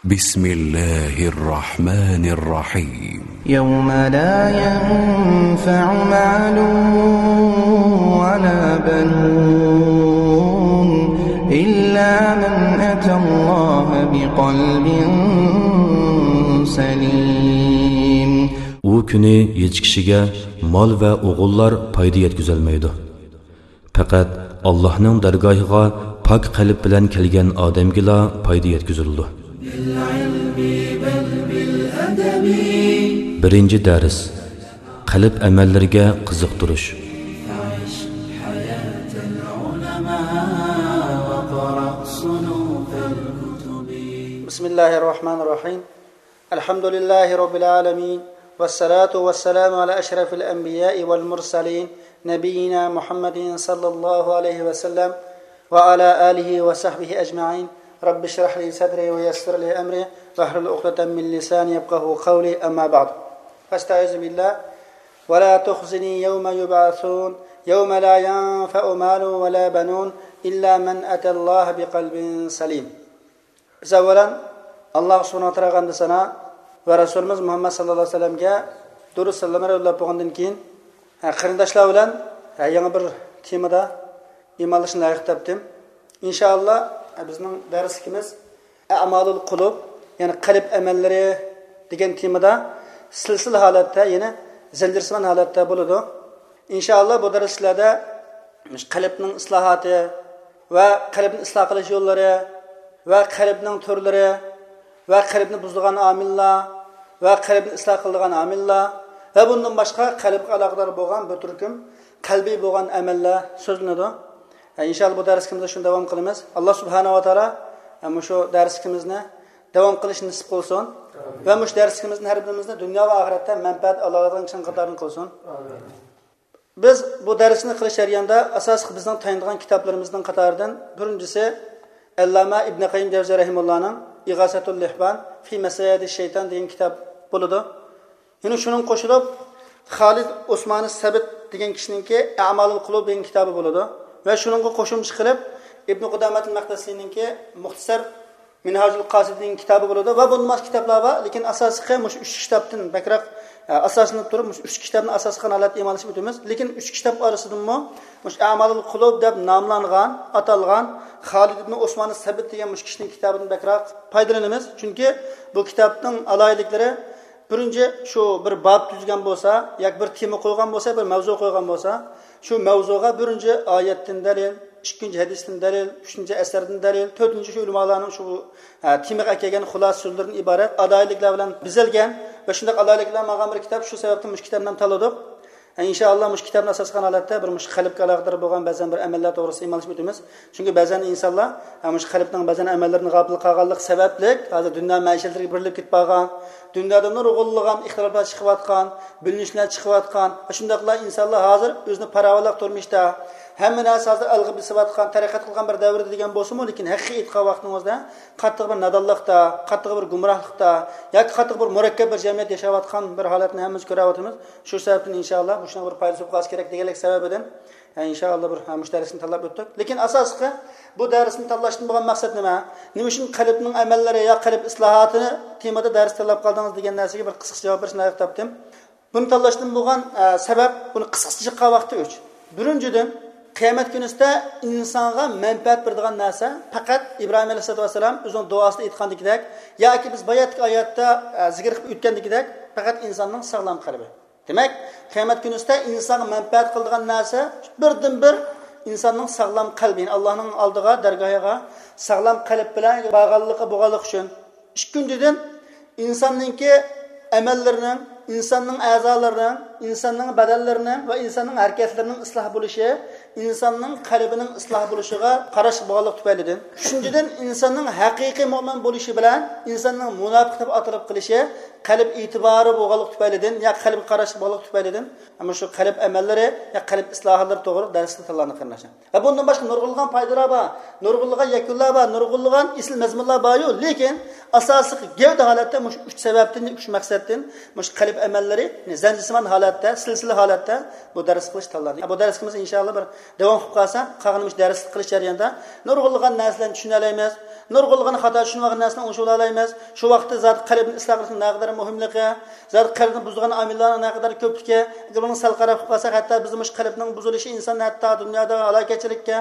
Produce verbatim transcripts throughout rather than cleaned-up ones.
بسم الله الرحمن الرحيم. يوم لا ينفع مال ولا بنون إلا من أتى الله بقلب سليم. ئۇ كۈنى ھېچ كىشىگە مال ۋە ئوغۇللار پايدا يەتكۈزەلمەيدۇ. پەقەت ئاللاھنىڭ دەرگاھىغا پاك قەلب بىلەن كەلگەن ئادەمگىلا پايدا يەتكۈزۈلىدۇ. بىرىنچى دەرس، قەلب ئەمەللىرىگە قىزىقتۇرۇش. بسم الله الرحمن الرحيم. الحمد لله رب العالمين، والصلاة والسلام على أشرف الأنبياء والمرسلين، نبينا محمد صلى الله عليه وسلم، وعلى آله وصحبه أجمعين. رب اشرح لي صدري ويسر لي أمري واحلل عقدة من لساني يفقهوا قولي. أما بعد، فاستعيذ بالله. ولا تخزني يوم يبعثون، يوم لا ينفع مال ولا بنون إلا من أتى الله بقلب سليم. بىز ئەۋۋەلەن ئاللاھ سۇبھانەھۇ ۋە تائالاغا ھەمدۇ سانا ۋە رەسۇلىمىز مۇھەممەد ساللاللاھۇ ئەلەيھى ۋەسەللەمگە دۇرۇد سالاملار يوللاپ بولغاندىن كېيىن، ھە، قېرىنداشلار بىلەن، ھە، يېڭى بىر تېمىدا ئىمانلىشىشنى لايىق تاپتىم. ئىنشائاللا، ھە، بىزنىڭ دەرسلىكىمىز ئەمالۇل قۇلۇب، يەنى قەلب ئەمەللىرى دېگەن تېمىدا سىلسىلە ھالەتتە، يەنى زەنجىرسىمان ھالەتتە بولىدۇ. ئىنشائاللا، بۇ دەرسلەردە قەلبنىڭ ئىسلاھاتى ۋە قەلبنى ئىسلاھ قىلىش يوللىرى ۋە قەلبنىڭ تۈرلىرى ۋە قەلبنى بۇزىدىغان ئامىللار ۋە قەلبنى ئىسلاھ قىلىدىغان ئامىللار ۋە بۇندىن باشقا قەلبكە ئالاقىدار بولغان بىر تۈركۈم قەلبىي بولغان ئەمەللەر سۆزلىنىدۇ. ئىنشائاللا، بۇ دەرسلىكىمىزدە شۇنى داۋام قىلىمىز. ئاللاھ سۇبھانەھۇ ۋە تائالا مۇشۇ دەرسلىكىمىزنى داۋام قىلىشنى نېسىپ قىلسۇن ۋە مۇشۇ دەرسلىكىمىزدىن ھەر بىرىمىزنى دۇنيا ۋە ئاخىرەتتە مەنپەئەت ئالالايدىغان كىشىلەرنىڭ قاتارىدىن قىلسۇن. بىز بۇ دەرسنى قىلىش جەريانىدا ئاساسلىق بىزنىڭ تايىنىدىغان كىتابلىرىمىزنىڭ قاتارىدىن بىرىنچىسى ئەللامە ئىبنى قەييىم جەۋزى رەھىمۇللانىڭ ئىغاسەتۇل لېھبان فى مەسايىدى شەيتان دېگەن كىتاب بولىدۇ. يەنە شۇنىڭغا قوشۇلۇپ خالىد ئوسمانى سەبىت دېگەن كىشىنىڭكى ئەمالۇل قۇلۇب دېگەن كىتابى بولىدۇ. ۋە شۇنىڭغا قوشۇمچە قىلىپ ئىبنى قۇدامەتىل مەقدىسىنىڭكى مۇختەسەر مىنھاجۇل قاسىدىنىڭ كىتابى بولىدۇ ۋە بۇندىن باشقا كىتابلار بار. لېكىن ئاساسلىقى مۇشۇ ئۈچ كىتابتىن بەكرەك، ئە، ئاساسلىنىپ تۇرۇپ، مۇشۇ ئۈچ كىتابنى ئاساس قىلغان ھالەتتە ئىمانلىشىپ ئۆتىمىز. لېكىن ئۈچ كىتاب ئارىسىدىنمۇ مۇشۇ ئەمالۇل قۇلۇب دەپ ناملانغان، ئاتالغان خالىد ئىبنى ئوسمانى سەبىت دېگەن مۇشۇ كىشىنىڭ كىتابىدىن بەكرەك پايدىلىنىمىز. چۈنكى بۇ كىتابنىڭ ئالاھىدىلىكلىرى، بىرىنچى، شۇ بىر باب تۈزگەن بولسا ياكى بىر تېما قويغان بولسا، بىر مەۋزۇ قويغان بولسا، شۇ مەۋزۇغا بىرىنچى ئايەتتىن دەلىل، ئىككىنچى ھەدىستىن دەلىل، ئۈچىنچى ئەسەردىن دەلىل، تۆتىنچى شۇ ئۆلىمالارنىڭ شۇ، ھە، تېمىغا ئەكەلگەن خۇلاسە سۆزلىرىدىن ئىبارەت ئالاھىدىلىكلەر بىلەن بېزەلگەن ۋە شۇنداق ئالاھىدىلىكلەر ماڭغان بىر كىتاب. شۇ سەۋەبتىن مۇشۇ كىتابنى ھەم تاللىدۇق. ھە، ئىنشائاللا، مۇشۇ كىتابنى ئاساس قىلغان ھالەتتە بىر مۇشۇ قەلبكە ئالاقىدار بولغان بەزەن بىر ئەمەللەر توغرىسىدا ئىمانلىشىپ ئۆتىمىز. چۈنكى بەزەن ئىنسانلار، ھە، مۇشۇ قەلبنىڭ بەزەن ئەمەللىرىدىن غاپىل قالغانلىقى سەۋەبلىك، ھازىر دۇنيا مەئىشەتلىرىگە بېرىلىپ كېتىپ قالغان، دۇنيادا نۇرغۇنلىغان ئىختىلاپلار چىقىۋاتقان، بۆلۈنۈشلەر چىقىۋاتقان، شۇنداقلا ئىنسانلار ھازىر ئۆزىنى پاراۋانلىق تۇرمۇشتا، ھەممە نەرسە ھازىر ئەلغا بېسىۋاتقان، تەرەققىيات قىلغان بىر دەۋردە دېگەن بولسىمۇ، لېكىن ھەقىقىي ئېيتقان ۋاقتىڭىزدا قاتتىق بىر نادانلىقتا، قاتتىق بىر گۇمراھلىقتا ياكى قاتتىق بىر مۇرەككەپ بىر جەمئىيەتتە ياشاۋاتقان بىر ھالەتنى ھەممىمىز كۆرۈۋاتىمىز. شۇ سەۋەبتىن ئىنشائاللا مۇشۇنىڭ بىر پايدىسى بولۇپ قالسا كېرەك دېگەنلىك سەۋەبىدىن، ھە، ئىنشائاللا بىر، ھە، مۇشۇ دەرسنى تاللاپ ئۆتتۇق. لېكىن ئاساسلىقى بۇ دەرسنى تاللاشتىن بولغان مەقسەت نېمە؟ نېمە ئۈچۈن قەلبنىڭ ئەمەللىرى يا قەلب ئىسلاھاتى تېمىدا دەرس تاللاپ قالدىڭىز دېگەن نەرسىگە بىر قىسقىچە جاۋاب بېرىشنى لايىق تاپتىم. بۇنى تاللاشتىن بولغان، ئە، سەۋەب، بۇنى قىسقىچە چىققان ۋاقتى ئۈچ. بىرىنچىدىن، قىيامەت كۈنىسىدە ئىنسانغا مەنپەئەت بېرىدىغان نەرسە پەقەت ئىبراھىم ئەلەيھىسسالاتۇ ۋەسسالام ئۆزىنىڭ دۇئاسىدا ئېيتقاندىكىدەك ياكى بىز باياتقى ئايەتتە، ئە، زىكىر قىلىپ ئۆتكەندىكىدەك پەقەت ئىنساننىڭ ساغلام قەلبى. دېمەك، قىيامەت كۈنىسىدە ئىنسانغا مەنپەئەت قىلىدىغان نەرسە بىردىنبىر ئىنساننىڭ ساغلام قەلبى، يەنى ئاللانىڭ ئالدىغا، دەرگاھىغا ساغلام قەلب بىلەن بارغانلىقى، بولغانلىقى ئۈچۈن. ئىككىنچىدىن، ئىنساننىڭكى ئەمەللىرىنىڭ، ئىنساننىڭ ئەزالىرىنىڭ، ئىنساننىڭ بەدەنلىرىنىڭ ۋە ئىنساننىڭ ھەرىكەتلىرىنىڭ ئىسلاھ بولۇشى، ئىنساننىڭ قەلبىنىڭ ئىسلاھ بولۇشىغا قاراشلىق بولغانلىقى تۈپەيلىدىن. ئۈچىنچىدىن، ئىنساننىڭ ھەقىقىي مۆمىن بولۇشى بىلەن ئىنساننىڭ مۇناپىق دەپ ئاتىلىپ قېلىشى قەلب ئېتىبارى بولغانلىقى تۈپەيلىدىن يا قەلبكە قاراشلىق بولغانلىقى تۈپەيلىدىن، مانا شۇ قەلب ئەمەللىرى يا قەلب ئىسلاھاتلىرى توغرىلىق دەرسلەر تاللاندى، قېرىنداشلار. ۋە بۇندىن باشقا نۇرغۇنلىغان پايدىلار بار، نۇرغۇنلىغان يەكۈنلەر بار، نۇرغۇنلىغان ئېسىل مەزمۇنلار باريۇ، لېكىن ئاساسلىق گەۋدە ھالەتتە مۇشۇ ئۈچ سەۋەبتىن، ئۈچ مەقسەتتىن مۇشۇ قەلب ئەمەللىرى زەنجىرسىمان ھالەتتە، سىلسىلە ھالەتتە بۇ دەرس قىلىش تاللاندى. بۇ دەرسىمىز ئىنشائاللا بىر داۋام قىلىپ قالسا، قالغان مۇشۇ دەرس قىلىش جەريانىدا نۇرغۇنلىغان نەرسىلەرنى چۈشىنەلەيمىز. نۇرغۇنلىغان خاتا چۈشىنىۋالغان نەرسىنى ئوڭشىۋالالايمىز. شۇ ۋاقىتتا زادى قەلبنى ئىسلاھ قىلىشنىڭ نەقەدەر مۇھىملىقى، زادى قەلبنى بۇزىدىغان ئامىللارنىڭ نەقەدەر كۆپلۈكى، ئەگەر بۇنىڭ سەل قاراپ قالساق، ھەتتا بىزنىڭ مۇشۇ قەلبنىڭ بۇزۇلۇشى ئىنساننى ھەتتا دۇنيادا ھالاكەتچىلىككە،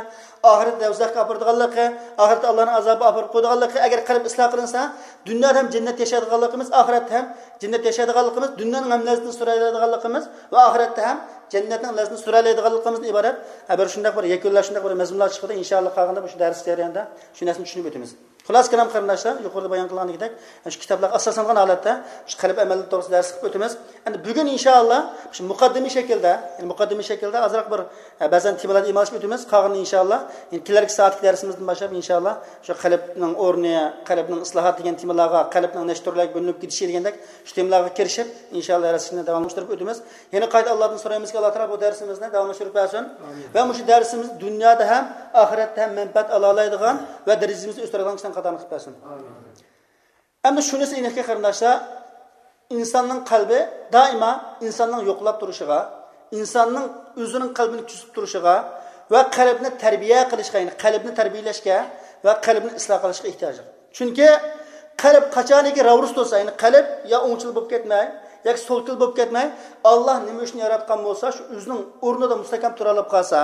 ئاخىرەتتە دوزاخقا ئاپىرىدىغانلىقى، ئاخىرەتتە ئاللانىڭ ئازابىغا ئاپىرىپ قويىدىغانلىقى، ئەگەر قەلب ئىسلاھ قىلىنسا، دۇنيادا ھەم جەننەتتە ياشايدىغانلىقىمىز، ئاخىرەتتە ھەم جەننەتتە ياشايدىغانلىقىمىز، دۇنيانىڭ ھەم لەززىتىنى سۈرەلەيدىغانلىقىمىز ۋە ئاخىرەتتە ھەم جەننەتنىڭ لەززىتىنى سۈرەلەيدىغانلىقىمىزدىن ئىبارەت، ھە، بىر شۇنداق بىر يەكۈنلەر، شۇنداق بىر مەزمۇنلار چىقىدۇ. ئىنشائاللا، قالغاندا مۇشۇ دەرس جەريانىدا شۇ نەرسىنى چۈشىنىپ ئۆتىمىز. خۇلاسە كالام قېرىنداشلار، يۇقىرىدا بايان قىلغاندىكىدەك، شۇ كىتابلارغا ئاساسلانغان ھالەتتە شۇ قەلب ئەمەللىرى توغرىسىدا دەرس قىلىپ ئۆتىمىز. ئەمدى بۈگۈن ئىنشائاللا شۇ مۇقەددىمە شەكىلدە، يەنى مۇقەددىمە شەكىلدە ئازراق بىر، ئە، بەزەن تېمىلاردا ئىمالىشىپ ئۆتىمىز. قالغىنىنى ئىنشائاللا، يەنى كېلەركى سائەتتىكى دەرسىمىزدىن باشلاپ ئىنشائاللا شۇ قەلبنىڭ ئورنى، قەلبنىڭ ئىسلاھاتى دېگەن تېمىلارغا، قەلبنىڭ نەچچە تۈرلەرگە بۆلۈنۈپ كېتىشى دېگەندەك شۇ تېمىلارغا كىرىشىپ، ئىنشائاللا، دەرسنى داۋاملاشتۇرۇپ ئۆتىمىز. يەنە قايتا ئاللادىن سورايمىزكى، ئاللا تائالا بۇ دەرسىمىزنى داۋاملاشتۇرۇپ بەرسۇن. ئامىن. ۋە مۇشۇ دەرسىمىز دۇنيادا ھەم ئاخىرەتتە ھەم مەنپەئەت ئالالايدىغان ۋە دەرىجىمىزنى ئۆستۈرىدىغان كىشىلەرنىڭ قاتارىغا قىلىپ بەرسۇن. ئامىن. ئەمدى شۇنىسى ئېنىقكى، قېرىنداشلار، ئىنساننىڭ قەلبى دائىما ئىنساننىڭ يوقىلاپ تۇرۇشىغا، ئىنساننىڭ ئۆزىنىڭ قەلبىنى كۈزىتىپ تۇرۇشىغا ۋە قەلبنى تەربىيە قىلىشقا، يەنى قەلبنى تەربىيەلەشكە ۋە قەلبنى ئىسلاھ قىلىشقا ئېھتىياجلىق. چۈنكى قەلب قاچانكى راۋۇرۇس تۇرسا، يەنى قەلب يا ئوڭچىل بولۇپ كەتمەي، ياكى سولكىل بولۇپ كەتمەي، ئاللا نېمە ئۈچۈن ياراتقان بولسا، شۇ ئۆزىنىڭ ئورنىدا مۇستەھكەم تۇرالىپ قالسا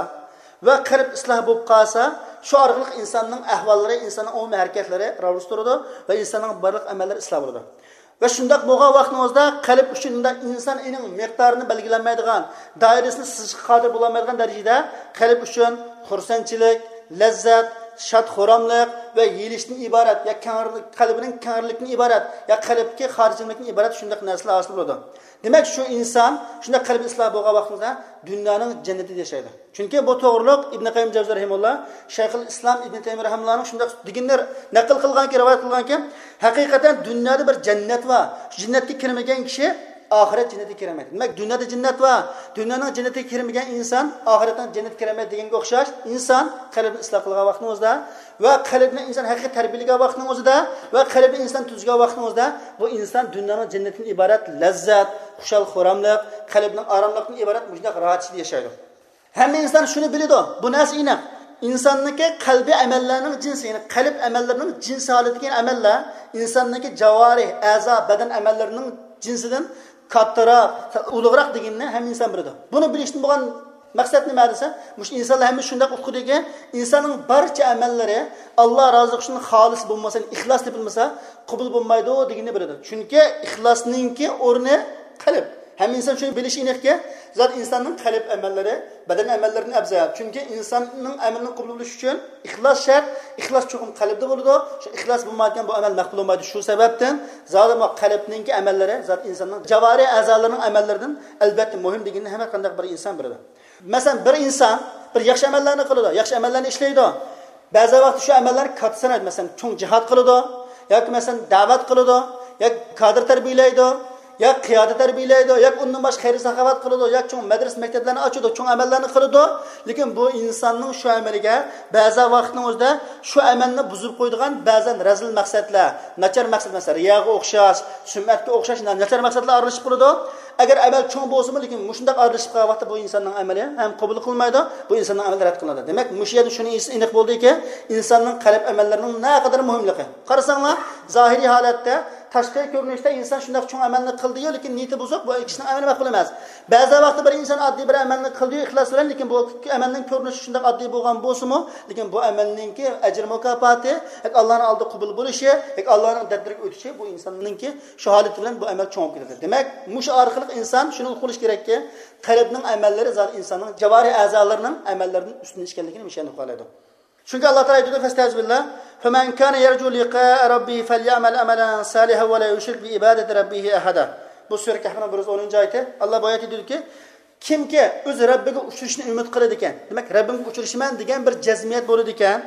ۋە قەلب ئىسلاھ بولۇپ قالسا، شۇ ئارقىلىق ئىنساننىڭ ئەھۋاللىرى، ئىنساننىڭ ئومۇمىي ھەرىكەتلىرى راۋۇرۇس تۇرىدۇ ۋە ئىنساننىڭ بارلىق ئەمەللىرى ئىسلاھ بولىدۇ. ۋە شۇنداق بولغان ۋاقتىڭىزدا قەلب ئۈچۈن مۇنداق ئىنسان ئېنىڭ مىقدارىنى بەلگىلەلمەيدىغان، دائىرىسىنى سىزىشقا قادىر بولالمايدىغان دەرىجىدە قەلب ئۈچۈن خۇرسەنچىلىك، لەززەت، شاد-خۇراملىق ۋە يېيىلىشتىن ئىبارەت، يا كەڭرى-، قەلبىنىڭ كەڭرىلىكتىن ئىبارەت، يا قەلبكە خاتىرجەملىكتىن ئىبارەت شۇنداق نەرسىلەر ھاسىل بولىدۇ. دېمەك، شۇ ئىنسان شۇنداق قەلبى ئىسلاھ بولغان ۋاقتىدا دۇنيانىڭ جەننىتىدە ياشايدۇ. چۈنكى بۇ توغرۇلۇق ئىبن قەييىم جەۋزى رەھىمۇللا، شەيخۇل ئىسلام ئىبن تەيمىيە رەھىمۇللانىڭ شۇنداق دېگىنىنى نەقىل قىلغانكى، رىۋايەت قىلغانكى، ھەقىقەتەن دۇنيادا بىر جەننەت بار. شۇ جەننەتكە كىرمىگەن كىشى ئاخىرەت جەننىتىگە كىرەلمەيدۇ. دېمەك، دۇنيادا جەننەت بار. دۇنيانىڭ جەننىتىگە كىرمىگەن ئىنسان ئاخىرەتنىڭ جەننىتىگە كىرەلمەيدۇ دېگەنگە ئوخشاش، ئىنسان قەلبىنى ئىسلاھ قىلغان ۋاقتىنىڭ ئۆزىدە ۋە قەلبنى ئىنسان ھەقىقىي تەربىيەلىگەن ۋاقتىنىڭ ئۆزىدە ۋە قەلبنى ئىنسان تۈزگەن ۋاقتىنىڭ ئۆزىدە بۇ ئىنسان دۇنيانىڭ جەننىتىدىن ئىبارەت لەززەت، خۇشال-خۇراملىق، قەلبنىڭ ئاراملىقتىن ئىبارەت مۇشۇنداق راھەت ئىچىدە ياشايدۇ. ھەممە ئىنسان شۇنى بىلىدۇ، بۇ نەرسە ئېنىق. ئىنساننىڭكى قەلبىي ئەمەللەرنىڭ جىنسى، يەنى قەلب ئەمەللىرىنىڭ جىنسى ھالىتىدىكى ئەمەللەر ئىنساننىڭكى جاۋارىھ، ئەزا، بەدەن ئەمەللىرىنىڭ جىنسىدىن كاتتىراق، ئۇلۇغراق دېگىنىنى ھەممە ئىنسان بىلىدۇ. بۇنى بىلىشتىن بولغان مەقسەت نېمە دېسە، مۇشۇ ئىنسانلار ھەممە شۇنداق ئۇقىدۇكى، ئىنساننىڭ بارچە ئەمەللىرى ئاللا رازىلىقى ئۈچۈن خالىس بولمىسا، ئىخلاس تېپىلمىسا، قوبۇل بولمايدۇ دېگىنىنى بىلىدۇ. چۈنكى ئىخلاسنىڭكى ئورنى قەلب. ھەممە ئىنسان شۇنى بىلىشى ئېنىقكى، زادى ئىنساننىڭ قەلب ئەمەللىرى بەدەن ئەمەللىرىدىن ئەۋزەل. چۈنكى ئىنساننىڭ ئەمىلىنىڭ قوبۇل بولۇشى ئۈچۈن ئىخلاس شەرت. ئىخلاس چوقۇم قەلبدە بولىدۇ. شۇ ئىخلاس بولمايدىكەن بۇ ئەمەل مەقبۇل بولمايدۇ. شۇ سەۋەبتىن زادى بۇ قەلبنىڭكى ئەمەللىرى زادى ئىنساننىڭ جاۋارىھ ئەزالىرىنىڭ ئەمەللىرىدىن ئەلۋەتتە مۇھىم دېگىنىنى ھەممە قانداق بىر ئىنسان بىلىدۇ. مەسىلەن، بىر ئىنسان بىر ياخشى ئەمەللەرنى قىلىدۇ، ياخشى ئەمەللەرنى ئىشلەيدۇ. بەزى ۋاقىتتا شۇ ئەمەللەرنى كاتتا سانايدۇ. مەسىلەن، چوڭ جىھاد قىلىدۇ، ياكى مەسىلەن، دەۋەت قىلىدۇ، ياكى كادىر تەربىيەلەيدۇ، ياكى قىيادە تەربىيەلەيدۇ، ياكى ئۇندىن باشقا خەير ساخاۋەت قىلىدۇ، ياكى چوڭ مەدرىسە مەكتەپلەرنى ئاچىدۇ، چوڭ ئەمەللەرنى قىلىدۇ. لېكىن بۇ ئىنساننىڭ شۇ ئەمىلىگە بەزى ۋاقىتنىڭ ئۆزىدە شۇ ئەمەلنى بۇزۇپ قويىدىغان بەزەن رەزىل مەقسەتلەر، ناچار مەقسەت، مەسىلەن، رىياغا ئوخشاش، سۈمئەتكە ئوخشاش ناچار مەقسەتلەر ئارىلىشىپ قالىدۇ. ئەگەر ئەمەل چوڭ بولسىمۇ، لېكىن مۇشۇنداق ئارىلىشىپ قالغان ۋاقىتتا بۇ ئىنساننىڭ ئەمىلى ھەم قوبۇل قىلمايدۇ، بۇ ئىنساننىڭ ئەمىلى رەت قىلىنىدۇ. دېمەك، مۇشۇ يەردە شۇنى ئېنىق بولدىكى، ئىنساننىڭ قەلب ئەمەللىرىنىڭ نەقەدەر مۇھىملىقى. قارىساڭلار، زاھىرىي ھالەتتە، تاشقى كۆرۈنۈشتە ئىنسان شۇنداق چوڭ ئەمەلنى قىلدىيۇ، لېكىن نىيىتى بۇزۇق، بۇ كىشىنىڭ ئەمىلى مەقبۇل ئەمەس. بەزى ۋاقىتتا بىر ئىنسان ئاددىي بىر ئەمەلنى قىلدىيۇ ئىخلاس بىلەن، لېكىن بۇ ئەمەلنىڭ كۆرۈنۈشى شۇنداق ئاددىي بولغان بولسىمۇ، لېكىن بۇ ئەمەلنىڭكى ئەجىر مۇكاپاتى ياكى ئاللانىڭ ئالدىدا قوبۇل بولۇشى ياكى ئاللانىڭ دەپتىرىگە ئۆتۈشى بۇ ئىنساننىڭكى شۇ ھالىتى بىلەن بۇ ئەمەل چوڭ بولۇپ كېتىدۇ. دېمەك، مۇشۇ ئارقىلىق ئىنسان شۇنى ئۇقۇپ بولۇشى كېرەككى، قەلبنىڭ ئەمەللىرى زادى ئىنساننىڭ جاۋارىھ ئەزالىرىنىڭ ئەمەللىرىدىن ئۈستۈن ئىكەنلىكىنى مۇشۇ يەردىن ئۇقالايدۇ. چۈنكى ئاللا تائالا ئېيتىدۇ، فەستەئىز بىللا، فەمەن كانە يەرجۇ لىقائە رەببىھى فەليەئمەل ئەمەلەن سالىھەن ۋە لا يۇشرىك بىئىبادەتى رەببىھى ئەھەدە. بۇ سۈرە كەھفنىڭ بىر يۈز ئونىنچى ئايىتى. ئاللا بۇ ئايەتتە دېدىكى، كىمكى ئۆز رەببىگە ئۇچرىشىشنى ئۈمىد قىلىدىكەن، دېمەك، رەببىمگە ئۇچرىشىمەن دېگەن بىر جەزمىيەت بولىدىكەن،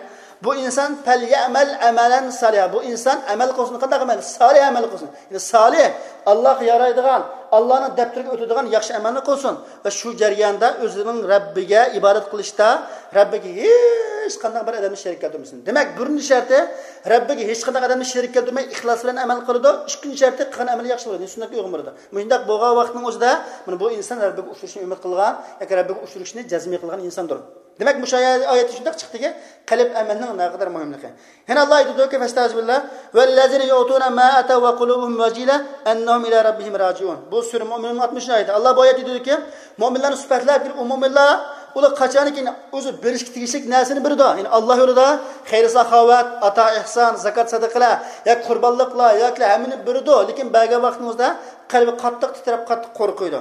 بۇ ئىنسان فەليەئمەل ئەمەلەن سالىھا، بۇ ئىنسان ئەمەل قىلسۇن. قانداق ئەمەل؟ سالىھ ئەمەل قىلسۇن. يەنى سالىھ، ئاللاغا يارايدىغان، ئاللانىڭ دەپتىرىگە ئۆتىدىغان ياخشى ئەمەلنى قىلسۇن ۋە شۇ جەرياندا ئۆزىنىڭ رەببىگە ئىبادەت قىلىشتا رەببىگە ھېچقانداق بىر ئادەمنى شېرىك كەلتۈرمىسۇن. دېمەك، بىرىنچى شەرتى، رەببىگە ھېچقانداق ئادەمنى شېرىك كەلتۈرمەي ئىخلاس بىلەن ئەمەل قىلىدۇ. ئىككىنچى شەرتى، قىلغان ئەمىلى ياخشى بولىدۇ، سۈننەتكە ئۇيغۇن بولىدۇ. مۇشۇنداق بولغان ۋاقىتنىڭ ئۆزىدە مانا بۇ ئىنسان رەببىگە ئۇچرىشىشنى ئۈمىد قىلغان ياكى رەببىگە ئۇچرىشىشنى جەزمىي قىلغان ئىنساندۇر. دېمەك، مۇشۇ ئايەتتە شۇنداق چىقتىكى، قەلب ئەمەلنىڭ نەقەدەر مۇھىملىقى. يەنە ئاللا ئېيتىدۇكى، فەستەئىزبىللا، ۋەللەزىنە يۇئتۇنە ما ئەتەۋ ۋە قۇلۇبۇھۇم ۋەجىلە ئەننەھۇم ئىلا رەببىھىم راجىئۇن. بۇ سۈرە مۇئمىنۇنىڭ ئاتمىشىنچى ئايىتى. ئاللا بۇ ئايەتتە دېيدۇكى، مۆمىنلەرنى سۈپەتلەپ، ئۇ مۆمىنلەر ئۇلار قاچانكى ئۆزى بېرىشكە تېگىشلىك نەرسىنى بېرىدۇ. يەنى ئاللا يولىدا خەير ساخاۋەت، ئاتا ئېھسان، زاكات سەدىقىلەر، ياكى قۇربانلىقلار، ياكى ھەممىنى بېرىدۇ. لېكىن بەرگەن ۋاقتىمىزدا قەلبى قاتتىق تىترەپ، قاتتىق قورقىدۇ.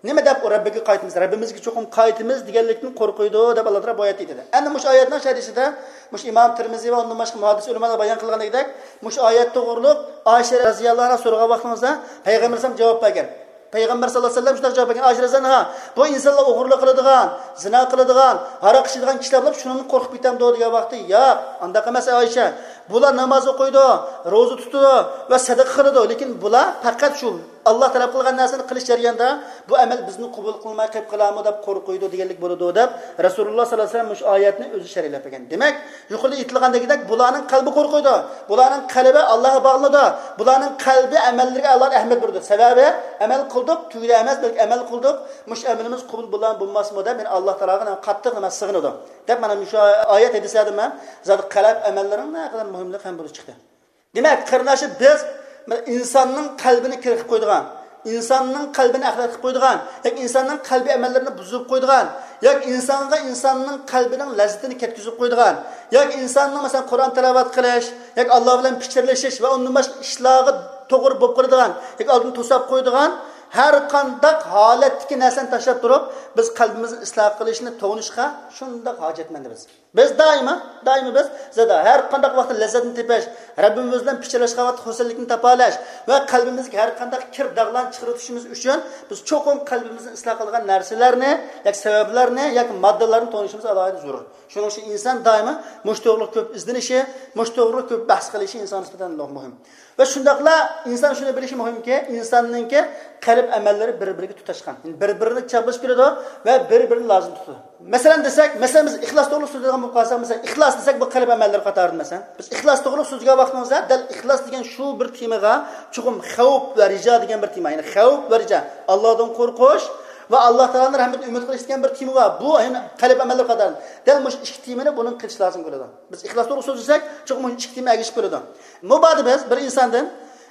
نېمە دەپ ئۇ رەببىگە قايتىمىز، رەببىمىزگە چوقۇم قايتىمىز دېگەنلىكتىن قورقىدۇ دەپ ئاللا تائالا بۇ ئايەتتە ئېيتىدۇ. ئەنە مۇشۇ ئايەتنىڭ شەرھىسىدە مۇشۇ ئىمام تىرمىزى ۋە ئۇندىن باشقا مۇھەددىس ئۆلىمالار بايان قىلغىنىدەك، مۇشۇ ئايەت توغرۇلۇق ئائىشە رەزىياللاھۇ ئەنھا سورىغان ۋاقتىمىزدا پەيغەمبەر ئەلەيھىسسالام جاۋاب بەرگەن. پەيغەمبەر ساللاللاھۇ ئەلەيھى ۋەسەللەم شۇنداق جاۋاب بەرگەن، ئائىشە رەزىياللاھۇ ئەنھا، بۇ ئىنسانلار ئوغرىلىق قىلىدىغان، زىنا قىلىدىغان، ھاراق ئىچىدىغان كىشىلەر بولۇپ، شۇنىڭدىن قورقۇپ كېتەمدۇ دېگەن ۋاقىتتا، ياق، ئانداق ئەمەس ئەي ئائىشە، بۇلار ناماز ئوقۇيدۇ، روزا تۇتىدۇ ۋە سەدىقە قىلىدۇ، لېكىن بۇلار پەقەت شۇ ئاللا تەلەپ قىلغان نەرسىنى قىلىش جەريانىدا بۇ ئەمەل بىزنى قوبۇل قىلماي قېلىپ قالارمۇ دەپ قورقۇيدۇ دېگەنلىك بولىدۇ دەپ رەسۇلۇللا ساللاللاھۇ ئەلەيھى ۋەسەللەم مۇشۇ ئايەتنى ئۆزى شەرھلەپ بەرگەن. دېمەك، يۇقىرىدا ئېيتىلغاندەكدەك، بۇلارنىڭ قەلبى قورقىدۇ، بۇلارنىڭ قەلبى ئاللاغا باغلىنىدۇ، بۇلارنىڭ قەلبى ئەمەللىرىگە ئالاھىدە ئەھمىيەت بېرىدۇ. سەۋەبى، ئەمەل قىلدۇق، تۈگىدى ئەمەس، بەلكى ئەمەل قىلدۇق، مۇشۇ ئەمىلىمىز قوبۇل بولارمۇ بولماسمۇ دەپ، يەنە ئاللا تائالاغا قاتتىق نېمە سىغىنىدۇ دەپ، مانا مۇشۇ ئايەت ھەدىسلەردىن مەن زادى قەلب ئەمەللىرىنىڭ نەقەدەر مۇھىملىقى ھەم بولۇپ چىقتى. دېمەك، قېرىنداشلار، بىز ئىنساننىڭ قەلبىنى كىر قىلىپ قويىدىغان، ئىنساننىڭ قەلبىنى ئەخلەت قىلىپ قويىدىغان ياكى ئىنساننىڭ قەلبى ئەمەللىرىنى بۇزۇپ قويىدىغان ياكى ئىنسانغا ئىنساننىڭ قەلبىنىڭ لەززىتىنى كەتكۈزۈپ قويىدىغان ياكى ئىنساننىڭ، مەسىلەن، قۇرئان تىلاۋەت قىلىش ياكى ئاللا بىلەن پىچىرلىشىش ۋە ئۇندىن باشقا ئىشلارغا توغرا بولۇپ قالىدىغان ياكى ئالدىنى توساپ قويىدىغان ھەر قانداق ھالەتتىكى نەرسىنى تاشلاپ تۇرۇپ، بىز قەلبىمىزنى ئىسلاھ قىلىشنى، توغرىنىشقا شۇنداق ھاجەتمەندىمىز. بىز دائىما، دائىما بىز زادا ھەر قانداق ۋاقىتتا لەززەتنى تېپىش، رەببىمىز بىلەن پىچىرلاشقان ۋاقىتتا خۇرسەنلىكنى تاپالاش ۋە قەلبىمىزدىكى ھەر قانداق كىر داغلارنى چىقىرىۋېتىشىمىز ئۈچۈن بىز چوقۇم قەلبىمىزنى ئىسلاھ قىلىدىغان نەرسىلەرنى ياكى سەۋەبلەرنى ياكى ماددىلارنى تونۇشىمىز ئالاھىدە زۆرۈر. شۇنىڭ ئۈچۈن ئىنسان دائىما مۇشۇ توغرۇلۇق كۆپ ئىزدىنىشى، مۇشۇ توغرۇلۇق كۆپ بەھس قىلىشى ئىنسانغا نىسبەتەن مۇھىم. ۋە شۇنداقلا ئىنسان شۇنى بىلىشى مۇھىمكى، ئىنساننىڭكى قەلب ئەمەللىرى بىر-بىرىگە تۇتاشقان. يەنى بىر-بىرىنى چاپلىشىپ كېلىدۇ ۋە بىر-بىرىنى لازىم تۇتىدۇ. مەسىلەن دېسەك، مەسىلەن، بىز ئىخلاس توغرۇلۇق سۆزلەيدىغان بولۇپ قالساق، مەسىلەن، ئىخلاس دېسەك، بۇ قەلب ئەمەللىرى قاتارىدا. مەسىلەن، بىز ئىخلاس توغرۇلۇق سۆزلىگەن ۋاقتىمىزدا، دەل ئىخلاس دېگەن شۇ بىر تېمىغا چوقۇم خەۋپ ۋە رىجا دېگەن بىر تېما، يەنى خەۋپ ۋە رىجا، ئاللادىن قورقۇش ۋە ئاللا تائالانىڭ رەھمىتىنى ئۈمىد قىلىش دېگەن بىر تېما بار. بۇ، يەنى، قەلب ئەمەللىرى قاتارىدا. دەل مۇشۇ ئىككى تېمىنى بۇنىڭ قىلىشى لازىم بولىدۇ. بىز ئىخلاس توغرۇلۇق سۆزلىسەك، چوقۇم مۇشۇ ئىككى تېما ئەگىشىپ كېلىدۇ. مۇبادا بىز بىر ئىنساندىن،